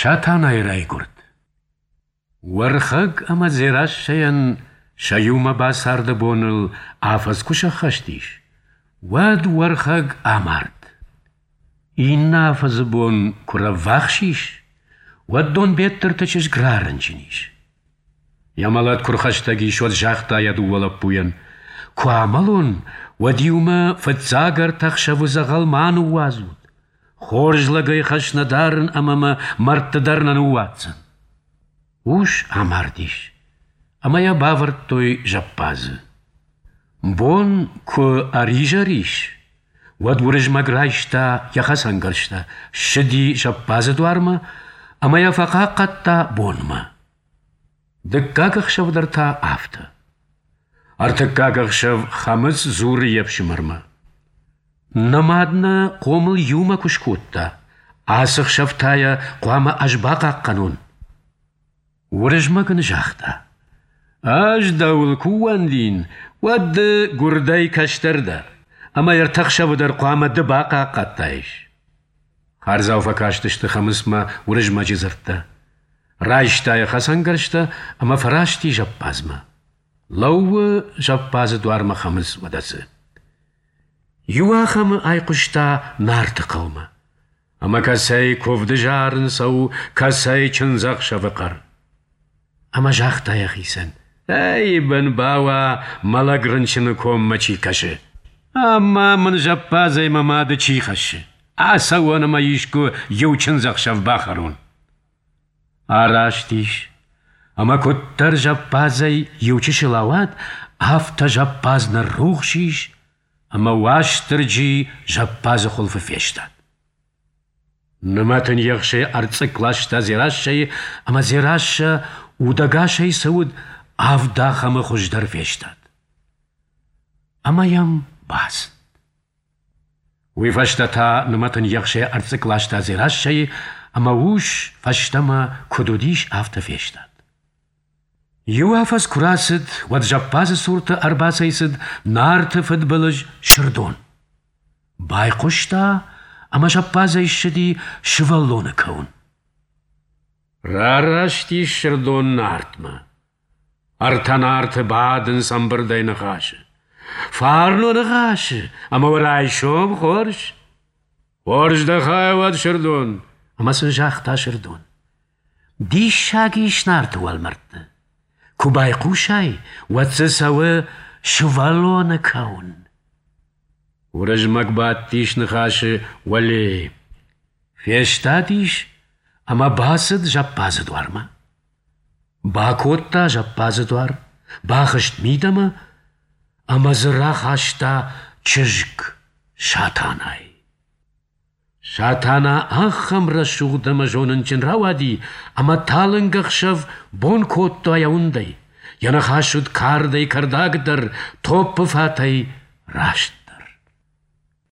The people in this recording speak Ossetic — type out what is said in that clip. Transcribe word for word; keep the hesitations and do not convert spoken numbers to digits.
Сатанайы райгуырд. Уӕрхӕг ӕмӕ Дзерассӕйӕн сӕ иумӕ бацарды боныл афӕдз куы сӕххӕст ис, уӕд Уӕрхӕг амард. Иннӕ афӕдзы бон куы рӕввахс ис, уӕд Донбеттырты чызг рарынчын ис. Йӕ мӕлӕт куы рхӕстӕг ис, уӕд загъта йӕ дыууӕ лӕппуйӕн: «Куы амӕлон, уӕд-иу мӕ фыццаг ӕртӕ ӕхсӕвы дзӕгъӕл ма ныууадзут. Хорз лӕгӕй хӕс нӕ дарын ӕмӕ мӕ мӕрдты дӕр нӕ ныууадздзӕн». Ус амардис, ӕмӕ йӕ бавӕрдтой зӕппадзы. Бон куы ӕризӕр ис, уӕд Уырызмӕг райста йӕ хӕцӕнгӕрзтӕ, ссыди зӕппадзы дуармӕ ӕмӕ йӕ фӕхъахъхъӕдта бонмӕ. Дыккаг ӕхсӕв дӕр та афтӕ. Ӕртыккаг ӕхсӕв Хӕмыц дзуры йе фсымӕрмӕ: «Нӕ мад нӕ хъомыл иумӕ куы скодта, ацы хсӕв та йӕ хъуамӕ ӕз бахъахъхъӕнон». Уырызмӕг ын загъта: «Ӕз дӕуыл куы ууӕндин, уӕд ды гуырдӕй кӕстӕр дӕ, ӕмӕ ӕртӕ хсӕвы дӕр хъуамӕ ды бахъахъхъӕдтаис». Хардзау фӕкастысты Хӕмыцмӕ Уырызмӕджы дзырдтӕ. Райста йӕ хӕцӕнгӕрзтӕ ӕмӕ фӕраст и зӕппадзмӕ. Лӕууы зӕппадзы дуармӕ Хӕмыц, уӕдӕ цы. Иуахӕмы айхъуыста Нарты хъӕумӕ. Ӕмӕ кӕцӕй куывды зарын цӕуы, кӕцӕй чындзӕхсӕвы хъӕр. Ӕмӕ загъта йӕхицӕн: «Ӕй, бын бауа, мӕлӕг рынчыны коммӕ чи кӕсы! Ӕмӕ мын зӕппадзӕй мӕ мады чи хӕссы? Ацӕуон ӕмӕ искуы иу чындзӕхсӕв бахӕрон». Араст ис, ӕмӕ куыддӕр зӕппадзӕй иу чысыл ауад, афтӕ зӕппадз ныррухс ис, ӕмӕ Уастырджи зӕппадзы хуылфы фестад. Нымӕтын ехсӕй ӕрцъыкк ласта Дзерассӕйы, ӕмӕ Дзерассӕ удӕгасӕй цы уыд, авд ахӕмы хуыздӕр фестад. Ӕмӕ йӕм бацыд. Уый фӕстӕ та нымӕтын ехсӕй ӕрцъыкк ласта Дзерассӕйы, ӕмӕ ус фӕстӕмӕ куыд уыдис, афтӕ фестад. Иу афӕдз куы рацыд, уӕд зӕппадзы цурты ӕрбацӕйцыд Нарты фыдбылыз Сырдон. Байхъуыста, ӕмӕ зӕппадзӕй ссыди сывӕллоны кӕуын. Рараст ис Сырдон Нартмӕ. Ӕртӕ Нарты бадынц ӕмбырдӕй ныхасы. Фарн уӕ ныхасы, ӕмӕ уӕ райсом хорз. Хорз дӕ хай уӕд, Сырдон, ӕмӕ сын загъта Сырдон: Диссаг ис Нарты уӕлмӕрдты. Куы байхъусай, уӕд дзы цӕуы сывӕллоны кӕуын. Уырызмӕг бадтис ныхасы уӕле. Фестадис ӕмӕ бацыд зӕппадзы дуармӕ. Бакодта зӕппадзы дуар, бахызт мидӕмӕ ӕмӕ дзы рахаста чызг Сатанайы. Сатана ахӕм рӕсугъд ӕмӕ зонынджын рауади, ӕмӕ талынг ӕхсӕв бон кодта йӕ уындӕй. Йӕ ныхас уыд кардӕй кӕрдагдӕр, топпы фатӕй растдӕр.